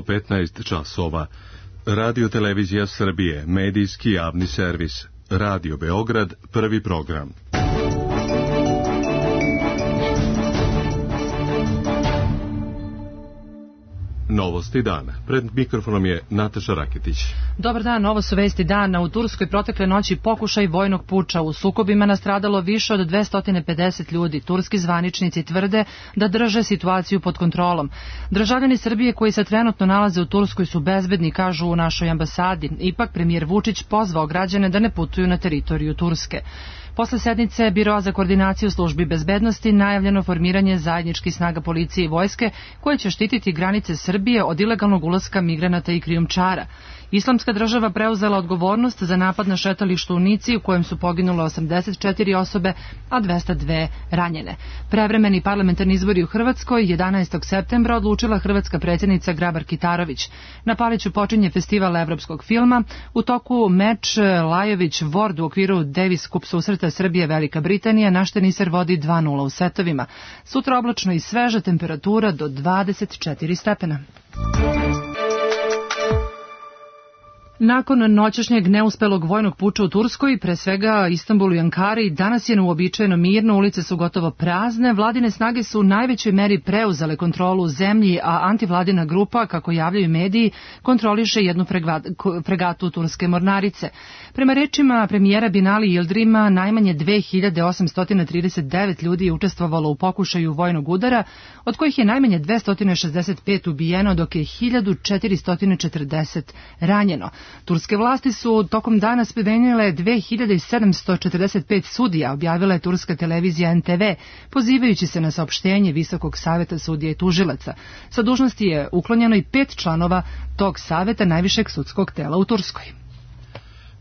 15 časova. Radio Televizija Srbije, medijski javni servis. Radio Beograd, prvi program. Novosti dana. Pred mikrofonom je Nataša Raketić. Dobar dan, ovo su vesti dana. U Turskoj protekle noći pokušaj vojnog puča. U sukobima nastradalo više od 250 ljudi. Turski zvaničnici tvrde da drže situaciju pod kontrolom. Državljani Srbije koji se trenutno nalaze u Turskoj su bezbedni, kažu u našoj ambasadi. Ipak premijer Vučić pozvao građane da ne putuju na teritoriju Turske. Posle sednice Biroa za koordinaciju službi bezbednosti najavljeno formiranje zajedničkih snaga policije i vojske koje će štititi granice Srbije od ilegalnog ulaska migranata i krijumčara. Islamska država preuzela odgovornost za napad na šetalištu u Nici u kojem su poginule 84 osobe, a 202 ranjene. Prevremeni parlamentarni izbori u Hrvatskoj 11. septembra odlučila hrvatska predsjednica Grabar Kitarović. Na Paliću počinje festival evropskog filma. U toku meč Lajović-Vord u okviru Davis Cup susreta Srbije-Velika Britanija naš teniser vodi 2:0 u setovima. Sutra oblačno i sveža, temperatura do 24 stepena. Nakon noćašnjeg neuspelog vojnog puča u Turskoj, pre svega Istanbulu i Ankari, danas je neuobičajeno mirno, ulice su gotovo prazne, vladine snage su u najvećoj meri preuzele kontrolu u zemlji, a antivladina grupa, kako javljaju mediji, kontroliše jednu fregatu turske mornarice. Prema rečima premijera Binali Yildirima, najmanje 2839 ljudi je učestvovalo u pokušaju vojnog udara, od kojih je najmanje 265 ubijeno, dok je 1440 ranjeno. Turske vlasti su tokom dana smenile 2745 sudija, objavila je turska televizija NTV, pozivajući se na saopštenje Visokog saveta sudija i tužilaca. Sa dužnosti je uklonjeno i 5 članova tog saveta najvišeg sudskog tela u Turskoj.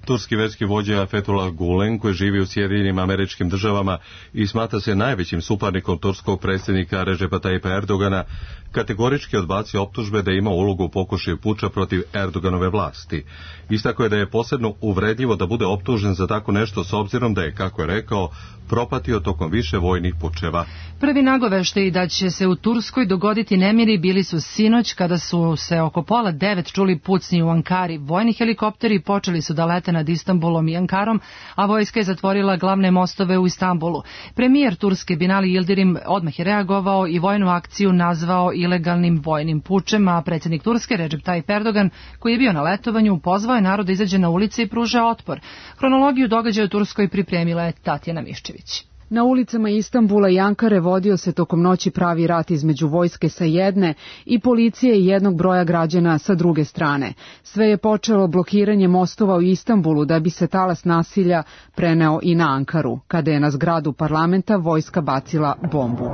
Turski verski vođa Fethullah Gulen, koji živi u Sjedinjenim Američkim Državama i smatra se najvećim suparnikom turskog predsjednika Recepa Tayyipa Erdogana, kategorički odbacio optužbe da ima ulogu u pokušaju puča protiv Erdoganove vlasti. Istakao je da je posebno uvredljivo da bude optužen za tako nešto s obzirom da je, kako je rekao, propatio tokom više vojnih pučeva. Prvi nagoveštaji da će se u Turskoj dogoditi nemiri bili su sinoć kada su se oko 8:30 čuli pucnji u Ankari. Vojni helikopteri počeli su da lete nad Istanbulom i Ankarom, a vojska je zatvorila glavne mostove u Istanbulu. Premijer Turske Binali Yildirim odmah je reagovao i vojnu akciju nazvao ilegalnim vojnim pučem, a predsjednik Turske Recep Tayyip Erdogan, koji je bio na letovanju, pozvao je narod da izađe na ulice i pruža otpor. Hronologiju događaja u Turskoj pripremila je Tatjana Miščević. Na ulicama Istanbula i Ankare vodio se tokom noći pravi rat između vojske sa jedne i policije i jednog broja građana sa druge strane. Sve je počelo blokiranjem mostova u Istanbulu da bi se talas nasilja preneo i na Ankaru, kada je na zgradu parlamenta vojska bacila bombu.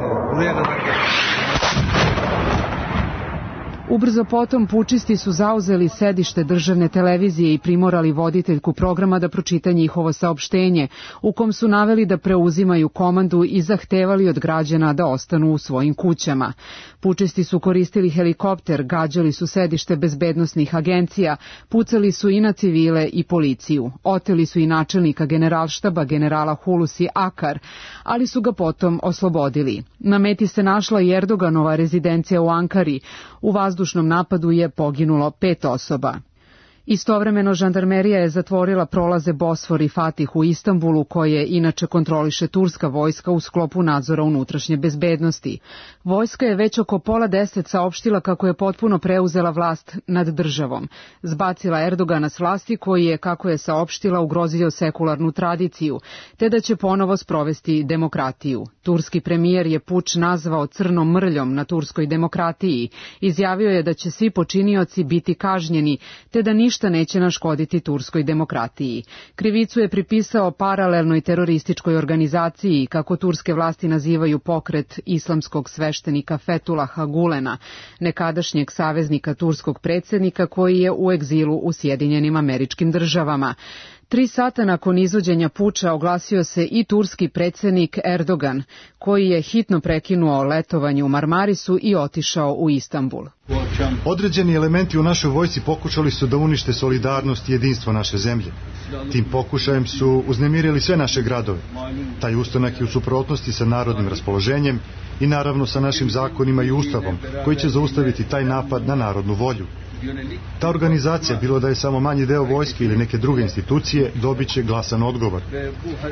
Ubrzo potom pučisti su zauzeli sedište državne televizije i primorali voditeljku programa da pročita njihovo saopštenje, u kom su naveli da preuzimaju komandu i zahtevali od građana da ostanu u svojim kućama. Pučisti su koristili helikopter, gađali su sedište bezbednosnih agencija, pucali su i na civile i policiju. Oteli su i načelnika generalštaba, generala Hulusi Akar, ali su ga potom oslobodili. Na meti se našla i Erdoganova rezidencija u Ankari. U vazdušnom napadu je poginulo 5 osoba. Istovremeno žandarmerija je zatvorila prolaze Bosfor i Fatih u Istanbulu, koje inače kontroliše turska vojska u sklopu nadzora unutrašnje bezbednosti. Vojska je već oko 9:30 saopštila kako je potpuno preuzela vlast nad državom. Zbacila Erdogana s vlasti koji je, kako je saopštila, ugrozio sekularnu tradiciju, te da će ponovo sprovesti demokratiju. Turski premijer je puč nazvao crnom mrljom na turskoj demokratiji. Izjavio je da će svi počinioci biti kažnjeni, te da ništa neće naškoditi turskoj demokratiji. Krivicu je pripisao paralelnoj terorističkoj organizaciji, kako turske vlasti nazivaju pokret islamskog sveštenika Fethullaha Gulena, nekadašnjeg saveznika turskog predsjednika koji je u egzilu u Sjedinjenim Američkim Državama. 3 sata nakon izvođenja puča oglasio se i turski predsjednik Erdogan, koji je hitno prekinuo letovanje u Marmarisu i otišao u Istanbul. Određeni elementi u našoj vojsci pokušali su da unište solidarnost i jedinstvo naše zemlje. Tim pokušajem su uznemirili sve naše gradove. Taj ustanak je u suprotnosti sa narodnim raspoloženjem i naravno sa našim zakonima i ustavom, koji će zaustaviti taj napad na narodnu volju. Ta organizacija, bilo da je samo manji deo vojske ili neke druge institucije, dobit će glasan odgovor.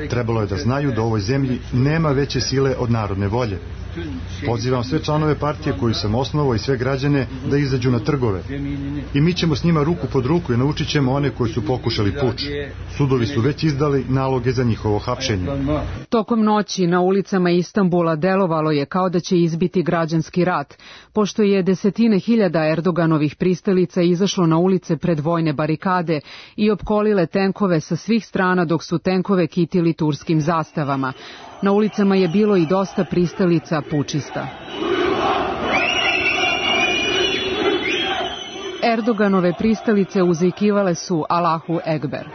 Trebalo je da znaju da u ovoj zemlji nema veće sile od narodne volje. Pozivam sve članove partije koju sam osnovao i sve građane da izađu na trgove. I mi ćemo s njima ruku pod ruku i naučit ćemo one koji su pokušali puč. Sudovi su već izdali naloge za njihovo hapšenje. Tokom noći na ulicama Istanbula delovalo je kao da će izbiti građanski rat, pošto je desetine hiljada Erdoganovih pristalica izašlo na ulice pred vojne barikade i opkolile tenkove sa svih strana dok su tenkove kitili turskim zastavama. Na ulicama je bilo i dosta pristalica pučista. Erdoganove pristalice uzvikivale su Allahu Ekber.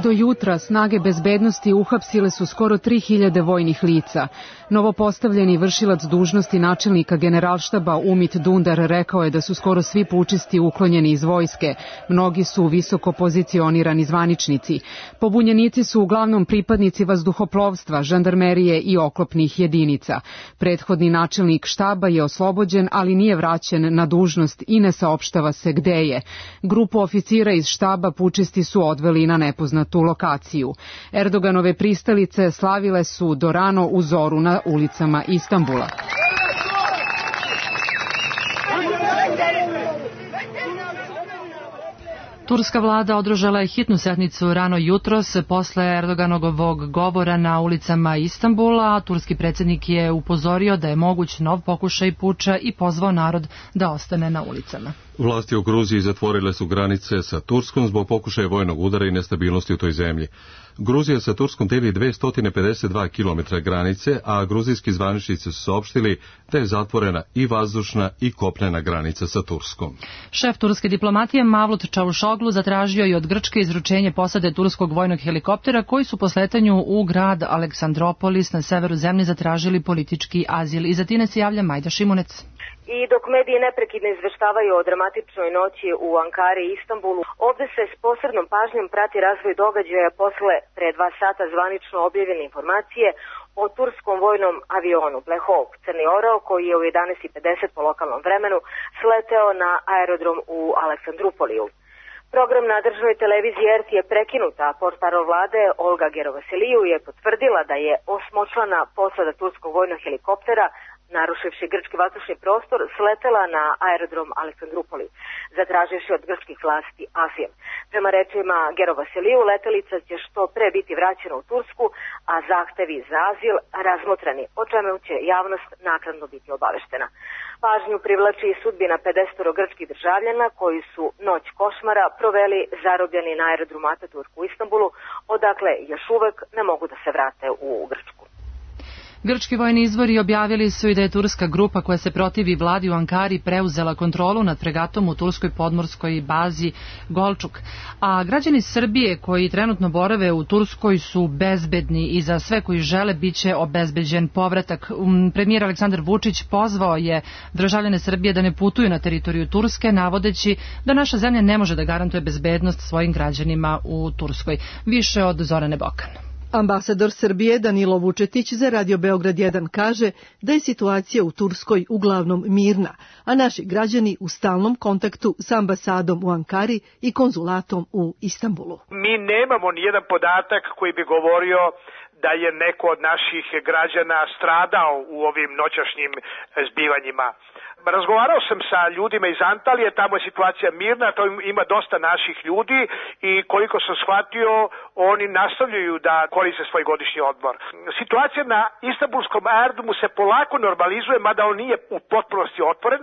Do jutra snage bezbednosti uhapsile su skoro 3000 vojnih lica. Novopostavljeni vršilac dužnosti načelnika generalštaba Umit Dundar rekao je da su skoro svi pučisti uklonjeni iz vojske. Mnogi su visoko pozicionirani zvaničnici. Pobunjenici su uglavnom pripadnici vazduhoplovstva, žandarmerije i oklopnih jedinica. Prethodni načelnik štaba je oslobođen, ali nije vraćen na dužnost i ne saopštava se gde je. Grupu oficira iz štaba pučisti su odveli na nepoznatu lokaciju. Erdoganove pristalice slavile su do rano u zoru na ulicama Istanbula. Turska vlada održala je hitnu sednicu rano jutros posle Erdoganovog govora na ulicama Istanbula. Turski predsjednik je upozorio da je moguć nov pokušaj puča i pozvao narod da ostane na ulicama. Vlasti u Gruziji zatvorile su granice sa Turskom zbog pokušaja vojnog udara i nestabilnosti u toj zemlji. Gruzija sa Turskom deli 252 km granice, a gruzijski zvaničnici su saopštili da je zatvorena i vazdušna i kopnena granica sa Turskom. Šef turske diplomatije Mavlut Čavuşoglu zatražio je od Grčke izručenje posade turskog vojnog helikoptera koji su po sletanju u grad Aleksandropolis na severu zemlje zatražili politički azil. Iz Atine se javlja Majda Šimunec. I dok mediji neprekidno izveštavaju o dramatičnoj noći u Ankari i Istanbulu, ovde se s posebnom pažnjom prati razvoj događaja posle pre 2 sata zvanično objavljene informacije o turskom vojnom avionu Black Hawk Crni orao koji je u 11:50 po lokalnom vremenu sleteo na aerodrom u Aleksandrupoliju. Program na državnoj televiziji RT je prekinut, a portparol vlade Olga Gerovasiliju je potvrdila da je 8-člana posada turskog vojnog helikoptera, narušivši grčki vazdušni prostor, sletela na aerodrom Aleksandrupoli, zatraživši od grčkih vlasti azil. Prema rečima Gerovasiliju, letelica će što pre biti vraćena u Tursku, a zahtevi za azil razmotreni, o čemu će javnost naknadno biti obaveštena. Pažnju privlači i sudbina 50 grčkih državljana koji su noć košmara proveli zarobljeni na aerodromu Ataturk u Istanbulu, odakle još uvek ne mogu da se vrate u Grčku. Grčki vojni izvori objavili su i da je turska grupa koja se protivi vladi u Ankari preuzela kontrolu nad fregatom u turskoj podmorskoj bazi Golčuk. A građani Srbije koji trenutno borave u Turskoj su bezbedni i za sve koji žele biće obezbeđen povratak. Premijer Aleksandar Vučić pozvao je državljane Srbije da ne putuju na teritoriju Turske, navodeći da naša zemlja ne može da garantuje bezbednost svojim građanima u Turskoj. Više od Zorane Bokan. Ambasador Srbije Danilo Vučetić za Radio Beograd 1 kaže da je situacija u Turskoj uglavnom mirna, a naši građani u stalnom kontaktu s ambasadom u Ankari i konzulatom u Istanbulu. Mi nemamo nijedan podatak koji bi govorio da je neko od naših građana stradao u ovim noćašnjim zbivanjima. Razgovarao sam sa ljudima iz Antalije, tamo je situacija mirna, to ima dosta naših ljudi i koliko sam shvatio, oni nastavljaju da koriste svoj godišnji odmor. Situacija na Istanbulskom aerodromu se polako normalizuje, mada on nije u potpunosti otvoren.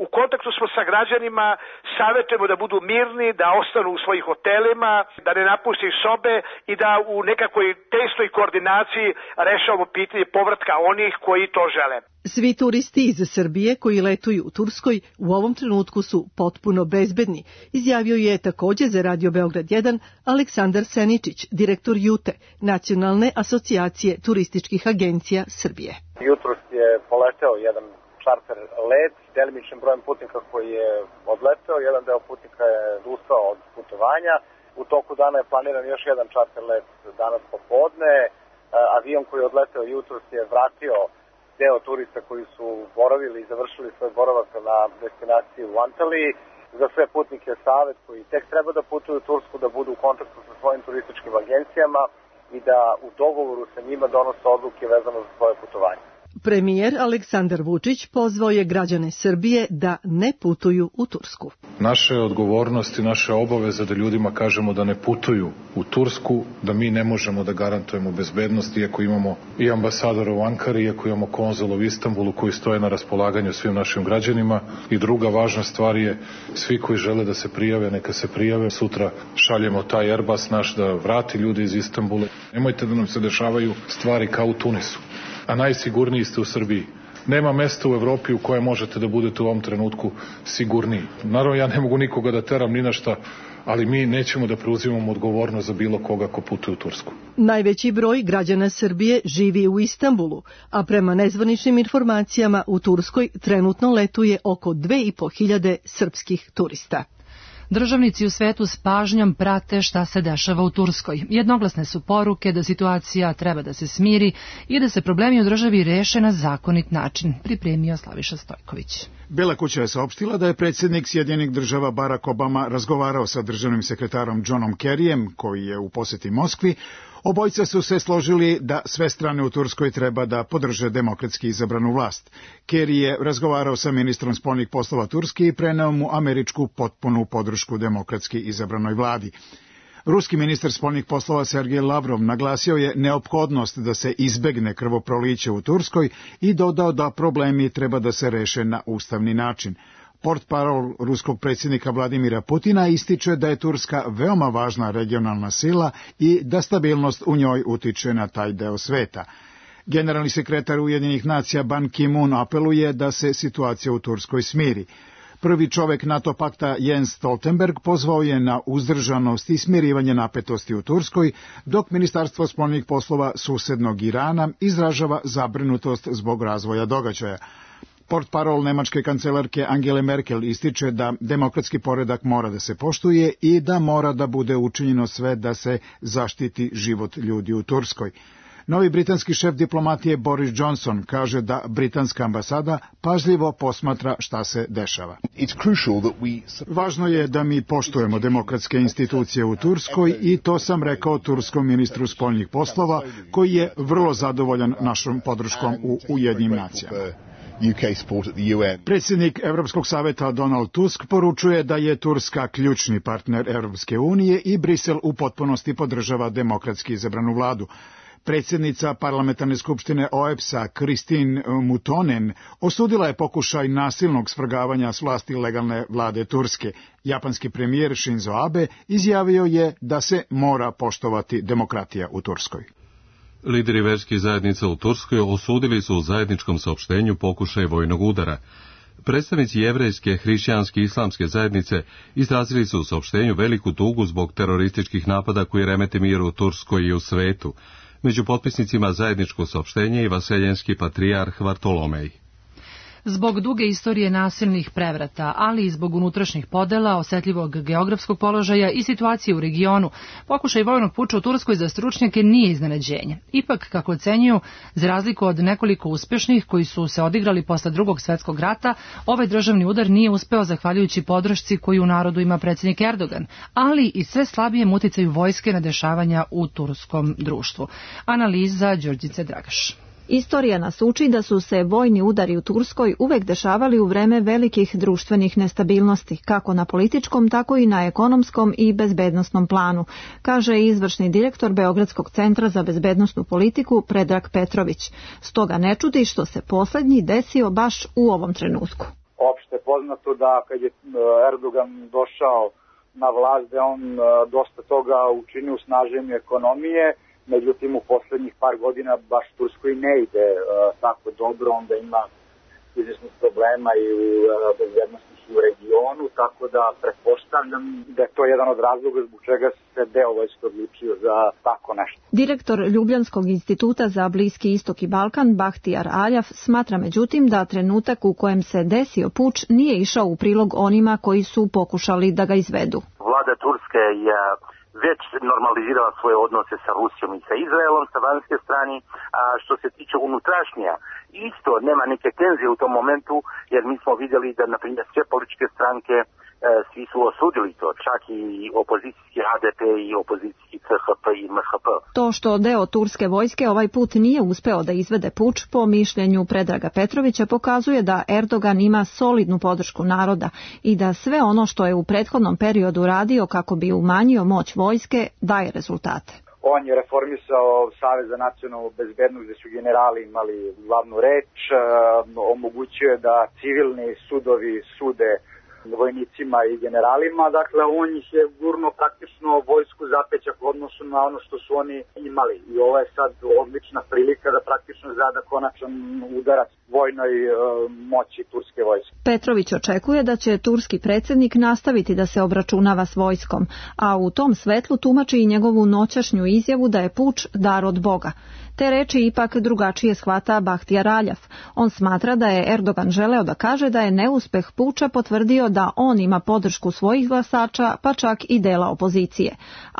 U kontaktu smo sa građanima, savjetujemo da budu mirni, da ostanu u svojih hotelima, da ne napuste sobe i da u nekakvoj tesnoj koordinaciji rešavamo pitanje povratka onih koji to žele. Svi turisti iz Srbije koji letuju u Turskoj u ovom trenutku su potpuno bezbedni, izjavio je također za Radio Beograd 1 Aleksandar Seničić, direktor JUTE, Nacionalne asocijacije turističkih agencija Srbije. Jutros je poleteo jedan čarter let s delimičnim brojem putnika koji je odleteo, jedan deo putnika je odustao od putovanja. U toku dana je planiran još jedan čarter let danas popodne. Avion koji je odleteo jutros je vratio deo turista koji su boravili i završili svoj boravak na destinaciji u Antaliji. Za sve putnike savjet koji tek treba da putuju u Tursku da budu u kontaktu sa svojim turističkim agencijama i da u dogovoru sa njima donose odluke vezano za svoje putovanje. Premijer Aleksandar Vučić pozvao je građane Srbije da ne putuju u Tursku. Naša je odgovornost i naša obaveza da ljudima kažemo da ne putuju u Tursku, da mi ne možemo da garantujemo bezbednost, iako imamo i ambasadora u Ankari, iako imamo konzul u Istanbulu koji stoje na raspolaganju svim našim građanima. I druga važna stvar je, svi koji žele da se prijave, neka se prijave. Sutra šaljemo taj Airbus naš da vrati ljude iz Istanbula. Nemojte da nam se dešavaju stvari kao u Tunisu. A najsigurniji ste u Srbiji. Nema mesta u Evropi u kojem možete da budete u ovom trenutku sigurniji. Naravno, ja ne mogu nikoga da teram ni na šta, ali mi nećemo da preuzimamo odgovornost za bilo koga ko putuje u Tursku. Najveći broj građana Srbije živi u Istanbulu, a prema nezvaničnim informacijama u Turskoj trenutno letuje oko 2.500 srpskih turista. Državnici u svetu s pažnjom prate šta se dešava u Turskoj. Jednoglasne su poruke da situacija treba da se smiri i da se problemi u državi reše na zakonit način, pripremio Slaviša Stojković. Bela kuća je saopštila da je predsjednik Sjedinjenih država Barack Obama razgovarao sa državnim sekretarom Johnom Kerryjem, koji je u posjeti Moskvi. Obojica su se složili da sve strane u Turskoj treba da podrže demokratski izabranu vlast. Kerry je razgovarao sa ministrom spoljnih poslova Turske i preneo mu američku potpunu podršku demokratski izabranoj vladi. Ruski ministar spoljnih poslova Sergej Lavrov naglasio je neophodnost da se izbegne krvoproliće u Turskoj i dodao da problemi treba da se reše na ustavni način. Portparol ruskog predsjednika Vladimira Putina ističe da je Turska veoma važna regionalna sila i da stabilnost u njoj utiče na taj deo sveta. Generalni sekretar Ujedinjenih nacija Ban Ki-moon apeluje da se situacija u Turskoj smiri. Prvi čovek NATO pakta Jens Stoltenberg pozvao je na uzdržanost i smirivanje napetosti u Turskoj, dok Ministarstvo spoljnih poslova susednog Irana izražava zabrinutost zbog razvoja događaja. Portparol nemačke kancelarke Angele Merkel ističe da demokratski poredak mora da se poštuje i da mora da bude učinjeno sve da se zaštiti život ljudi u Turskoj. Novi britanski šef diplomatije Boris Johnson kaže da britanska ambasada pažljivo posmatra šta se dešava. Važno je da mi poštujemo demokratske institucije u Turskoj i to sam rekao turskom ministru spoljnih poslova, koji je vrlo zadovoljan našom podrškom u Ujedinjenim nacijama. Predsjednik Evropskog saveta Donald Tusk poručuje da je Turska ključni partner Evropske unije i Brisel u potpunosti podržava demokratski izabranu vladu. Predsjednica parlamentarne skupštine OEBS-a Kristin Mutonen osudila je pokušaj nasilnog svrgavanja s vlasti legalne vlade Turske. Japanski premijer Shinzo Abe izjavio je da se mora poštovati demokratija u Turskoj. Lideri verskih zajednica u Turskoj osudili su u zajedničkom saopštenju pokušaj vojnog udara. Predstavnici jevrejske, hrišćanske i islamske zajednice izrazili su u saopštenju veliku tugu zbog terorističkih napada koji remete mir u Turskoj i u svetu. Među potpisnicima zajedničko saopštenje i vaseljenski patrijarh Vartolomej. Zbog duge istorije nasilnih prevrata, ali i zbog unutrašnjih podela, osetljivog geografskog položaja i situacije u regionu, pokušaj vojnog puča u Turskoj za stručnjake nije iznenađenje. Ipak, kako ocenjuju, za razliku od nekoliko uspešnih koji su se odigrali posle Drugog svjetskog rata, ovaj državni udar nije uspeo zahvaljujući podršci koju u narodu ima predsjednik Erdogan, ali i sve slabijem uticaju vojske na dešavanja u turskom društvu. Analiza Đorđice Dragaš. Istorija nas uči da su se vojni udari u Turskoj uvek dešavali u vreme velikih društvenih nestabilnosti, kako na političkom, tako i na ekonomskom i bezbednosnom planu, kaže izvršni direktor Beogradskog centra za bezbednosnu politiku Predrag Petrović. Stoga ne čudi što se poslednji desio baš u ovom trenutku. Opšte poznato da kad je Erdogan došao na vlast, da on dosta toga učinio u snaženju ekonomije. Međutim, u poslednjih par godina baš Turskoj ne ide tako dobro, onda ima izvjesnih problema i u bezbednosnih i u regionu, tako da pretpostavljam da je to jedan od razloga zbog čega se deo vojske odlučio za tako nešto. Direktor Ljubljanskog instituta za Bliski istok i Balkan, Bahtijar Aljaf, smatra međutim da trenutak u kojem se desio puč nije išao u prilog onima koji su pokušali da ga izvedu. Vlada Turske je već normalizirala svoje odnose sa Rusijom i sa Izraelom sa vanjske strane, a što se tiče unutrašnja, isto nema neke tenzije u tom momentu, jer mi smo vidjeli da, na primjer, sve političke stranke svi su osudili to, čak i opozicijski HDP i opozicijski CHP i MHP. To što deo turske vojske ovaj put nije uspeo da izvede puč, po mišljenju Predraga Petrovića, pokazuje da Erdogan ima solidnu podršku naroda i da sve ono što je u prethodnom periodu radio kako bi umanjio moć vojske daje rezultate. On je reformisao Savez za nacionalnu bezbednost gde su generali imali glavnu reč, omogućio je da civilni sudovi sude vojnicima i generalima, dakle on ih je gurno praktično vojsku zapećak u odnosu na ono što su oni imali i ovo je sad odlična prilika da praktično zada konačan udarac vojnoj moći turske vojske. Petrović očekuje da će turski predsjednik nastaviti da se obračunava s vojskom, a u tom svetlu tumači i njegovu noćašnju izjavu da je puč dar od Boga. Te reči ipak drugačije shvata Bahtiyar Aljaf. On smatra da je Erdogan želeo da kaže da je neuspeh puča potvrdio da on ima podršku svojih glasača, pa čak i dela opozicije.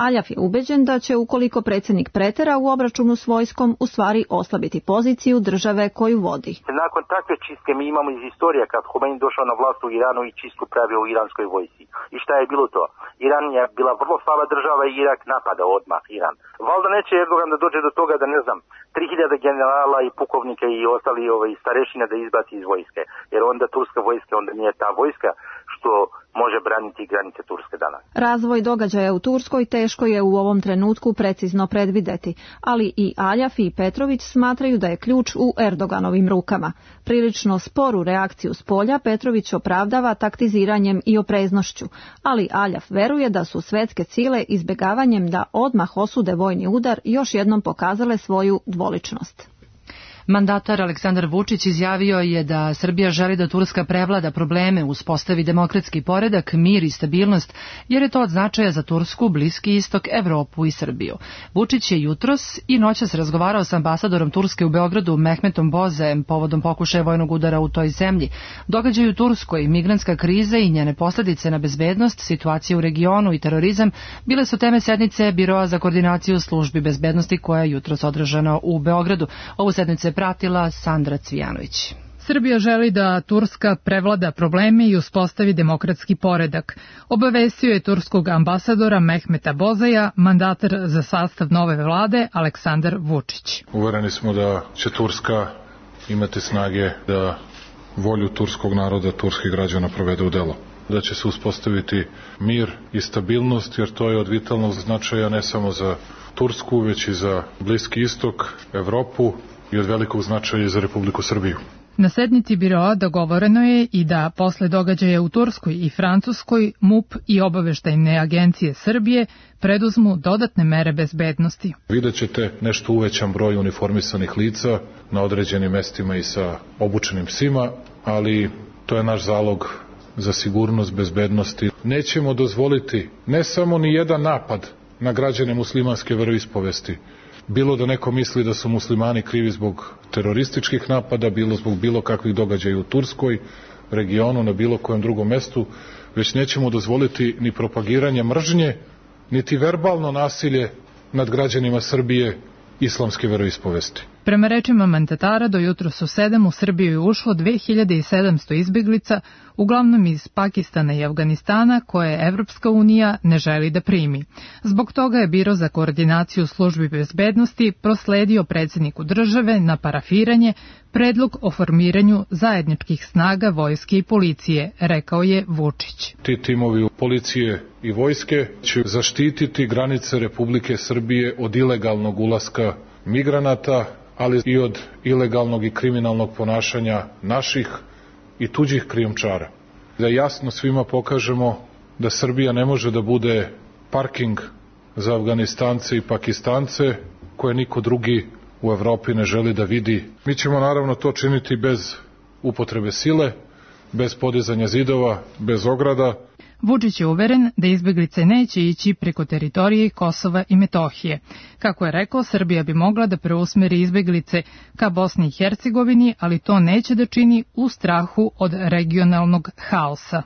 Aljaf je ubeđen da će, ukoliko predsjednik pretera u obračunu s vojskom, u stvari oslabiti poziciju države koju vodi. Nakon takve čistke mi imamo iz istorije kad Khomeini došao na vlast u Iranu i čistku pravio u iranskoj vojsci. I šta je bilo to? Iran je bila vrlo slaba država i Irak napada odmah Iran. Valjda neće Erdogan da dođe do toga da, ne znam, 3000 generala i pukovnika i ostali starešine da izbaci iz vojske. Jer onda turska vojska onda nije ta vojska što može braniti granice Turske danas. Razvoj događaja u Turskoj teško je u ovom trenutku precizno predvideti, ali i Aljaf i Petrović smatraju da je ključ u Erdoganovim rukama. Prilično sporu reakciju s polja Petrović opravdava taktiziranjem i opreznošću, ali Aljaf veruje da su svetske sile izbjegavanjem da odmah osude vojni udar još jednom pokazale svoju dvoličnost. Mandatar Aleksandar Vučić izjavio je da Srbija želi da Turska prevlada probleme, uspostavi demokratski poredak, mir i stabilnost, jer je to od značaja za Tursku, Bliski istok, Evropu i Srbiju. Vučić je jutros i noćas razgovarao sa ambasadorom Turske u Beogradu Mehmetom Bozajem povodom pokušaja vojnog udara u toj zemlji. Događaj u Turskoj, migrantska kriza i njene posljedice na bezbednost, situacija u regionu i terorizam bile su teme sednice Biroa za koordinaciju službi bezbednosti koja je jutros održana u Beogradu. Ovu sednicu je pratila Sandra Cvijanović. Srbija želi da Turska prevlada probleme i uspostavi demokratski poredak. Obavestio je turskog ambasadora Mehmeta Bozaja, mandatar za sastav nove vlade Aleksandar Vučić. Uvereni smo da će Turska imati snage da volju turskog naroda, turskih građana provede u delo. Da će se uspostaviti mir i stabilnost, jer to je od vitalnog značaja ne samo za Tursku, već i za Bliski istok, Evropu, i od velikog značaja za Republiku Srbiju. Na sednici biroa dogovoreno je i da posle događaja u Turskoj i Francuskoj MUP i obaveštajne agencije Srbije preduzmu dodatne mere bezbednosti. Vidjet ćete nešto uvećan broj uniformisanih lica na određenim mestima i sa obučenim psima, ali to je naš zalog za sigurnost, bezbednosti. Nećemo dozvoliti ne samo ni jedan napad na građane muslimanske veroispovesti, bilo da neko misli da su muslimani krivi zbog terorističkih napada, bilo zbog bilo kakvih događaja u Turskoj, regionu, na bilo kojem drugom mestu, već nećemo dozvoliti ni propagiranje mržnje, niti verbalno nasilje nad građanima Srbije islamske veroispovesti. Prema rečima mandatara, do jutros u 7 u Srbiju je ušlo 2700 izbjeglica, uglavnom iz Pakistana i Afganistana, koje Evropska unija ne želi da primi. Zbog toga je Biro za koordinaciju službi bezbednosti prosledio predsjedniku države na parafiranje predlog o formiranju zajedničkih snaga vojske i policije, rekao je Vučić. Ti timovi policije i vojske će zaštititi granice Republike Srbije od ilegalnog ulaska migranata, ali i od ilegalnog i kriminalnog ponašanja naših i tuđih krijumčara. Da jasno svima pokažemo da Srbija ne može da bude parking za Afganistance i Pakistance koje niko drugi u Evropi ne želi da vidi. Mi ćemo naravno to činiti bez upotrebe sile, bez podizanja zidova, bez ograda. Vučić je uveren da izbjeglice neće ići preko teritorije Kosova i Metohije. Kako je rekao, Srbija bi mogla da preusmeri izbjeglice ka Bosni i Hercegovini, ali to neće da čini u strahu od regionalnog haosa.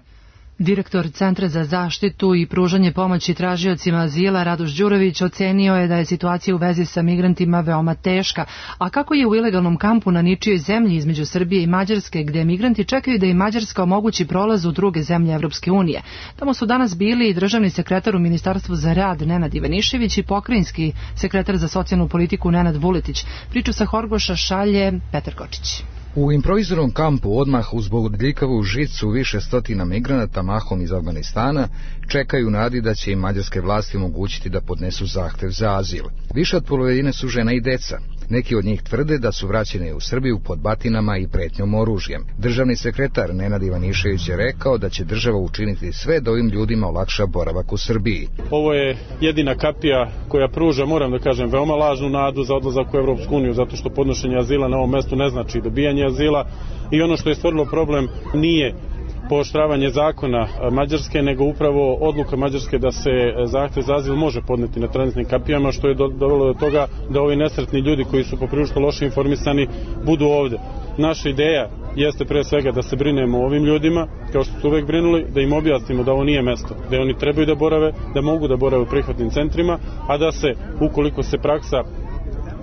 Direktor Centra za zaštitu i pružanje pomoći tražiocima azila Radoš Đurović ocenio je da je situacija u vezi sa migrantima veoma teška, a kako je u ilegalnom kampu na ničijoj zemlji između Srbije i Mađarske, gde migranti čekaju da i Mađarska omogući prolaz u druge zemlje Evropske unije. Tamo su danas bili i državni sekretar u Ministarstvu za rad Nenad Ivanišević i pokrajinski sekretar za socijalnu politiku Nenad Vuletić. Priču sa Horgoša šalje Petar Kočić. U improviziranom kampu odmah uz bodljikavu žicu više stotina migranata mahom iz Afganistana čekaju nadi da će im mađarske vlasti omogućiti da podnesu zahtev za azil. Više od polovine su žena i deca. Neki od njih tvrde da su vraćene u Srbiju pod batinama i pretnjom oružjem. Državni sekretar Nenad Ivanišević je rekao da će država učiniti sve da ovim ljudima olakša boravak u Srbiji. Ovo je jedina kapija koja pruža, moram da kažem, veoma lažnu nadu za odlazak u Evropsku uniju, zato što podnošenje azila na ovom mestu ne znači dobijanje azila i ono što je stvorilo problem nije pooštravanje zakona Mađarske, nego upravo odluka Mađarske da se zahtev za azil može podneti na tranzitnim kapijama, što je dovelo do toga da ovi nesretni ljudi koji su poprilično loše informisani budu ovde. Naša ideja jeste pre svega da se brinemo o ovim ljudima, kao što su uvek brinuli, da im objasnimo da ovo nije mesto, da oni trebaju da borave, da mogu da borave u prihvatnim centrima, a da se, ukoliko se praksa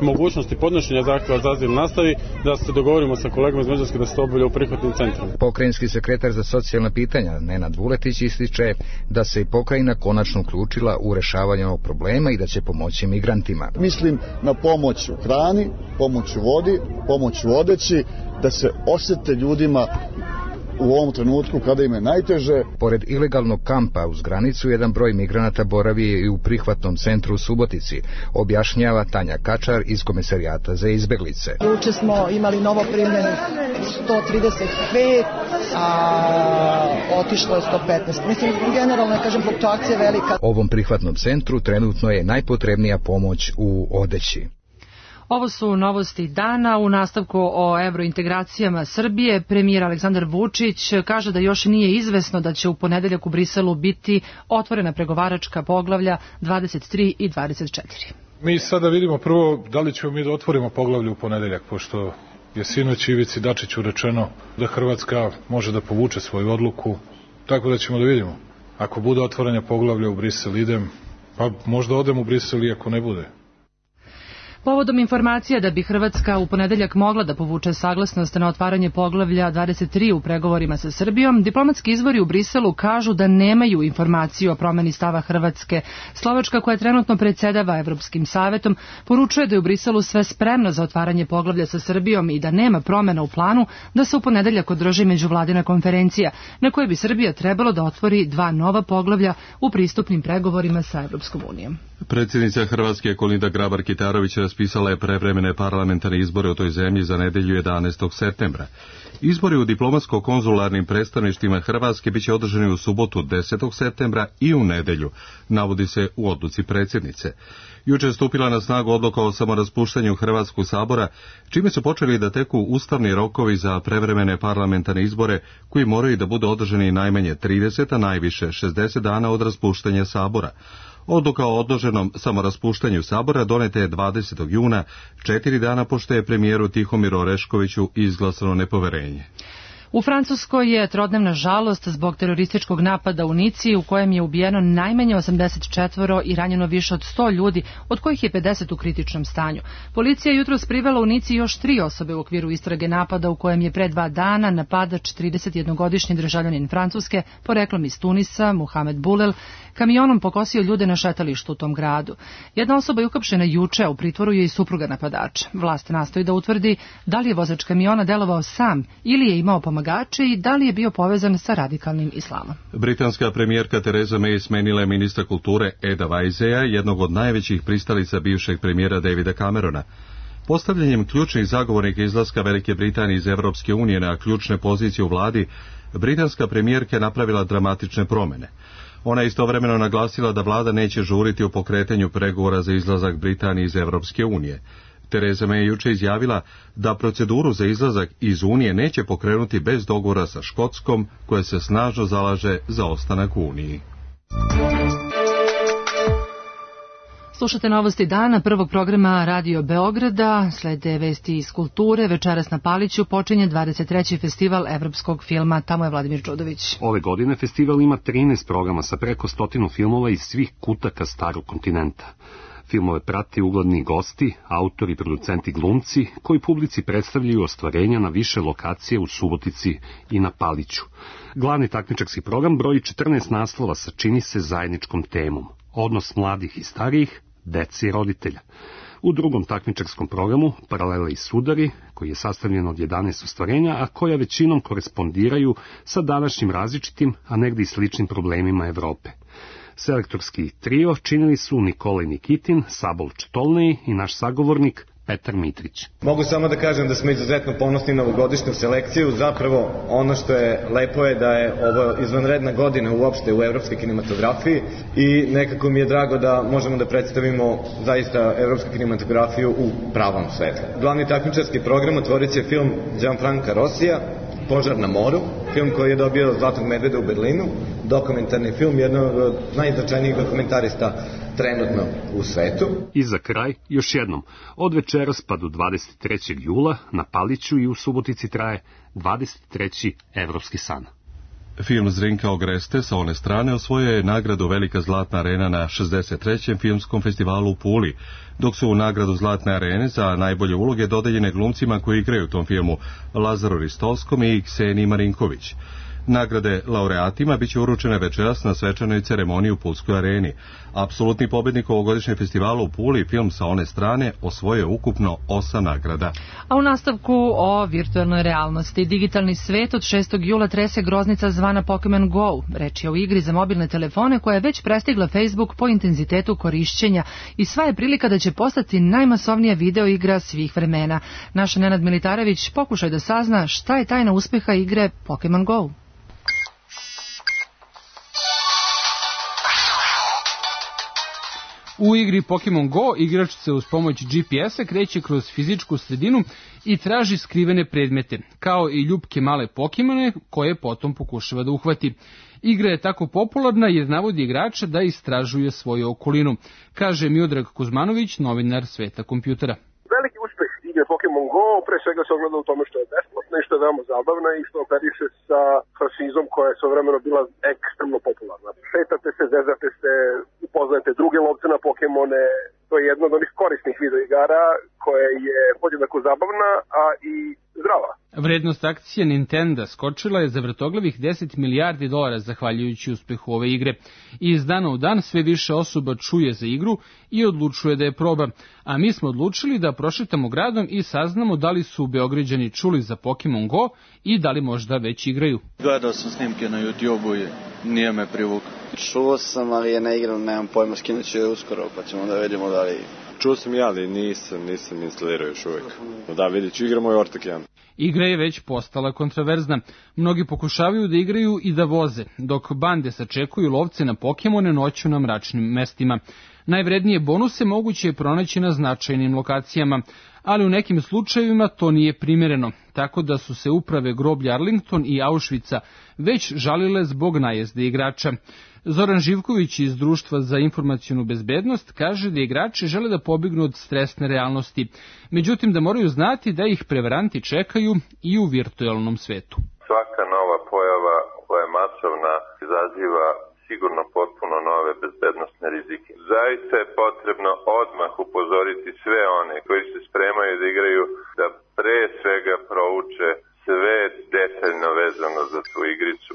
mogućnosti podnošenja zahtjeva za azil nastavi, da se dogovorimo sa kolegama iz Mađarske da se to obavlja u prihvatnim centrima. Pokrajinski sekretar za socijalna pitanja Nenad Vuletić ističe da se i pokrajina konačno uključila u rešavanje ovog problema i da će pomoći migrantima. Mislim na pomoć u hrani, pomoć u vodi, pomoć u odeći, da se osete ljudima u ovom trenutku kada im je najteže. Pored ilegalnog kampa uz granicu, jedan broj migranata boravi i u prihvatnom centru u Subotici, objašnjava Tanja Kačar iz Komesarijata za izbeglice. Juče smo imali novo primljenih 135, a otišlo je 115. Mislim, generalno, kažem, fluktuacija velika. Ovom prihvatnom centru trenutno je najpotrebnija pomoć u odeći. Ovo su novosti dana. U nastavku o evrointegracijama Srbije, premijer Aleksandar Vučić kaže da još nije izvesno da će u ponedeljak u Briselu biti otvorena pregovaračka poglavlja 23 i 24. Mi sada vidimo prvo da li ćemo mi da otvorimo poglavlje u ponedeljak, pošto je sinoć Ivici Dačiću rečeno da Hrvatska može da povuče svoju odluku, tako da ćemo da vidimo. Ako bude otvaranje poglavlja u Brisel idem, pa možda odem u Brisel i ako ne bude. Povodom informacija da bi Hrvatska u ponedeljak mogla da povuče saglasnost na otvaranje poglavlja 23 u pregovorima sa Srbijom, diplomatski izvori u Briselu kažu da nemaju informaciju o promeni stava Hrvatske. Slovačka, koja trenutno predsedava Evropskim savetom, poručuje da je u Briselu sve spremno za otvaranje poglavlja sa Srbijom i da nema promena u planu da se u ponedeljak održi međuvladina konferencija, na kojoj bi Srbija trebalo da otvori 2 nova poglavlja u pristupnim pregovorima sa Evropskom unijom. Predsjednica Hrvatske Kolinda Grabar-Kitarović raspisala je prevremene parlamentarne izbore u toj zemlji za nedelju 11. septembra. Izbori u diplomatsko-konzularnim predstavništvima Hrvatske biće održani u subotu 10. septembra i u nedelju, navodi se u odluci predsjednice. Juče je stupila na snagu odluka o samoraspuštanju Hrvatskog sabora, čime su počeli da teku ustavni rokovi za prevremene parlamentarne izbore koji moraju da budu održani najmanje 30, a najviše 60 dana od raspuštanja sabora. Odluka o odloženom samoraspuštanju sabora doneta je 20. juna, 4 dana pošto je premijeru Tihomiru Oreškoviću izglasano nepoverenje. U Francuskoj je trodnevna žalost zbog terorističkog napada u Nici u kojem je ubijeno najmanje 84 i ranjeno više od 100 ljudi, od kojih je 50 u kritičnom stanju. Policija je jutros privela u Nici još 3 osobe u okviru istrage napada u kojem je pre 2 dana napadač 31-godišnji državljanin Francuske, poreklom iz Tunisa, Mohamed Boulel, kamionom pokosio ljude na šetalištu u tom gradu. Jedna osoba je uhapšena juče, a u pritvoru je i supruga napadača. Vlast nastoji da utvrdi da li je vozač kamiona delovao sam ili je imao pomagače i da li je bio povezan sa radikalnim islamom. Britanska premijerka Theresa May smenila je ministra kulture Eda Weisseya, jednog od najvećih pristalica bivšeg premijera Davida Camerona. Postavljanjem ključnih zagovornika izlaska Velike Britanije iz Evropske unije na ključne pozicije u vladi, britanska premijerka je napravila dramatične promjene. Ona je istovremeno naglasila da vlada neće žuriti u pokretanju pregovora za izlazak Britanije iz Evropske unije. Theresa May je juče izjavila da proceduru za izlazak iz Unije neće pokrenuti bez dogovora sa Škotskom, koja se snažno zalaže za ostanak u Uniji. Slušate novosti dana prvog programa Radio Beograda, slede vesti iz kulture. Večeras na Paliću počinje 23. festival evropskog filma. Tamo je Vladimir Čudović. Ove godine festival ima 13 programa sa preko 100 filmova iz svih kutaka starog kontinenta. Filmove prati ugledni gosti, autori, producenti, glumci, koji publici predstavljaju ostvarenja na više lokacije u Subotici i na Paliću. Glavni takmičarski program broji 14 naslova sa čini se zajedničkom temom. Odnos mladih i starijih, dece i roditelja. U drugom takmičarskom programu Paralele i sudari, koji je sastavljen od 11 ostvarenja, a koja većinom korespondiraju sa današnjim različitim, a negdje i sličnim problemima Evrope. Selektorski trio činili su Nikolaj Nikitin, Sabol Četolnej i naš sagovornik Petar Mitrić. Mogu samo da kažem da smo izuzetno ponosni na ovogodišnju selekciju. Zapravo ono što je lepo je da je ovo izvanredna godina uopšte u evropskoj kinematografiji i nekako mi je drago da možemo da predstavimo zaista evropsku kinematografiju u pravom svetlu. Glavni takmičarski program otvorit će film Gianfranca Rossija, Požar na moru, film koji je dobio Zlatnog medveda u Berlinu, dokumentarni film, jednog od najznačajnijih dokumentarista trenutno u svetu. I za kraj, još jednom, od večeras pa do 23. jula na Paliću i u Subotici traje 23. Evropski san. Film Zrinka Ogreste sa one strane osvojio je nagradu Velika Zlatna arena na 63. filmskom festivalu u Puli, dok su u nagradu Zlatne arene za najbolje uloge dodeljene glumcima koji igraju u tom filmu Lazaru Ristolskom i Kseniji Marinković. Nagrade laureatima biće uručene večeras na svečanoj ceremoniji u Pulskoj areni. Apsolutni pobednik ovogodišnjeg festivala u Puli, film sa one strane, osvojio ukupno 8 nagrada. A u nastavku o virtualnoj realnosti. Digitalni svet od 6. jula trese groznica zvana Pokemon Go. Reč je o igri za mobilne telefone koja je već prestigla Facebook po intenzitetu korišćenja i sva je prilika da će postati najmasovnija video igra svih vremena. Naš Nenad Militarević pokušaj da sazna šta je tajna uspeha igre Pokemon Go. U igri Pokemon Go igrač se uz pomoć GPS-a kreće kroz fizičku sredinu i traži skrivene predmete, kao i ljupke male Pokemone koje potom pokušava da uhvati. Igra je tako popularna jer navodi igrača da istražuje svoju okolinu, kaže Miodrag Kuzmanović, novinar Sveta kompjutera. Veliki uspeh igre Pokemon Go pre svega se ogleda u tome što je besplatna i što je veoma zabavna i što operiše sa franšizom koja je svojevremeno bila ekstremno popularna. Šetate se, zezate se, upoznajete druge lovce na Pokemone, to je jedna od onih korisnih videoigara koja je podjednako zabavna, a i zdrava. Vrednost akcije Nintendo skočila je za vrtoglavih $10 milijardi zahvaljujući uspehu ove igre. I iz dana u dan sve više osoba čuje za igru i odlučuje da je proba. A mi smo odlučili da prošetamo gradom i saznamo da li su Beograđani čuli za Pokemon Go i da li možda već igraju. Gledao sam snimke na YouTube-u i nije me privukao. Čuo sam, ali je ne igram, nemam pojma, skinut ću je uskoro, pa ćemo da vidimo da li... Čuo sam ja, ali nisam instalirao još uvijek. Da, vidjet ću, igramo i Ortak 1. Igra je već postala kontroverzna. Mnogi pokušavaju da igraju i da voze, dok bande sačekuju lovce na Pokemone noću na mračnim mestima. Najvrednije bonuse moguće je pronaći na značajnim lokacijama, ali u nekim slučajevima to nije primjereno, tako da su se uprave groblja Arlington i Auschwitza već žalile zbog najezde igrača. Zoran Živković iz Društva za informacionu bezbednost kaže da igrači žele da pobegnu od stresne realnosti, međutim da moraju znati da ih prevaranti čekaju i u virtualnom svetu. Svaka nova pojava koja je masovna izaziva sigurno potpuno nove bezbednosne rizike. Zaista je potrebno odmah upozoriti sve one koji se spremaju da igraju da pre svega prouče sve detaljno vezano za tu igricu.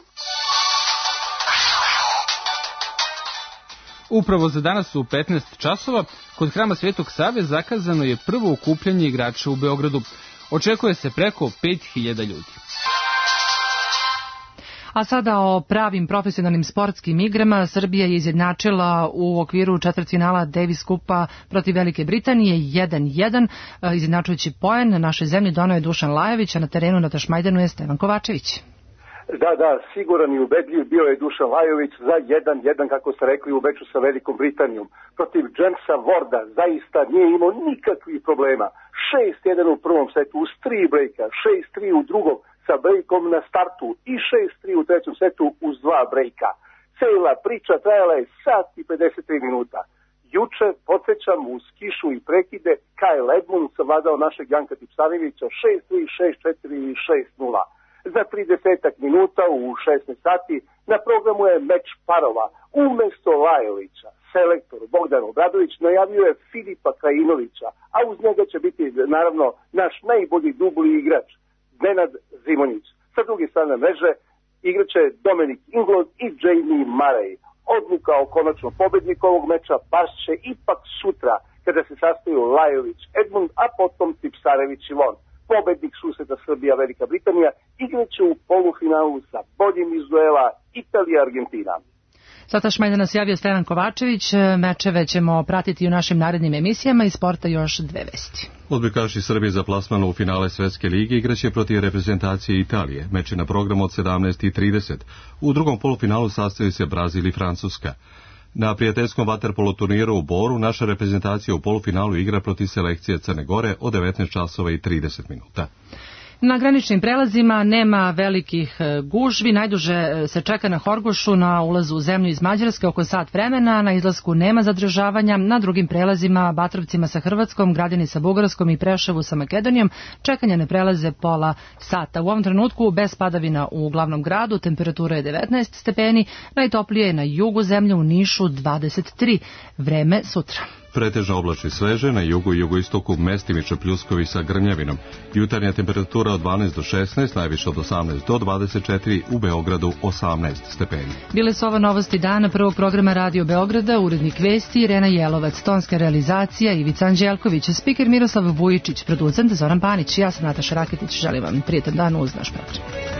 Upravo za danas u 15 časova kod Hrama Svetog Save zakazano je prvo okupljanje igrača u Beogradu. Očekuje se preko 5000 ljudi. A sada o pravim profesionalnim sportskim igrama. Srbija je izjednačila u okviru četvrtfinala Davis Kupa protiv Velike Britanije 1-1. Izjednačujući poen na našoj zemlji donao je Dušan Lajović, a na terenu na Tašmajdanu je Stevan Kovačević. Da, siguran i ubedljiv bio je Dušan Lajović za 1-1, kako ste rekli, u meču sa Velikom Britanijom. Protiv Jamesa Warda zaista nije imao nikakvih problema. 6-1 u prvom setu uz 3 brejka, 6-3 u drugom sa brejkom na startu i 6-3 u trećem setu uz 2 brejka. Cela priča trajala je sat i 53 minuta. Juče, podsjećam, uz kišu i prekide, Kyle Edmund savladao našeg Janka Tipsarevića 6-3, 6-4 i 6-0. Za 30 minuta u 16 sati na programu je meč parova. Umesto Lajovića, selektor Bogdan Obradović najavio je Filipa Krajinovića, a uz njega će biti naravno naš najbolji dubli igrač, Nenad Zimonjić. Sa druge strane mreže igraće Dominik Inglot i Jamie Murray. Odluka o konačnom pobedniku ovog meča pašće ipak sutra, kada se sastaju Lajović, Edmund, a potom Tipsarević i Von. Pobednik susreta Srbija-Velika Britanija igraće u polufinalu sa boljim iz duela Italija-Argentina. Sata Šmajda nas javio Stevan Kovačević. Mečeve ćemo pratiti u našim narednim emisijama. Iz sporta još dve vesti. Odbojkaši Srbije za plasman u finale Svetske lige igraće protiv reprezentacije Italije. Meč je na programu od 17:30. U drugom polufinalu sastaju se Brazil i Francuska. Na prijateljskom vaterpolo turniru u Boru naša reprezentacija u polufinalu igra protiv selekcije Crne Gore od 19:30. Na graničnim prelazima nema velikih gužvi, najduže se čeka na Horgošu na ulazu u zemlju iz Mađarske oko sat vremena, na izlasku nema zadržavanja, na drugim prelazima, Batrovcima sa Hrvatskom, Gradini sa Bugarskom i Preševu sa Makedonijom, čekanja ne prelaze pola sata. U ovom trenutku bez padavina u glavnom gradu, temperatura je 19 stepeni, najtoplije je na jugu zemlje u Nišu 23, vreme sutra. Pretežno oblačno i sveže, na jugu i jugoistoku mestimično pljuskovi sa grmljavinom. Jutarnja temperatura od 12 do 16, najviše od 18 do 24, u Beogradu 18 stepeni. Bile su ovo novosti dana prvog programa Radio Beograda, urednik vesti Irena Jelovac, tonska realizacija Ivica Anđelković, spiker Miroslav Vujičić, producent Zoran Panić. Ja sam Nataša Raketić, želim vam prijetan dan uz naš program.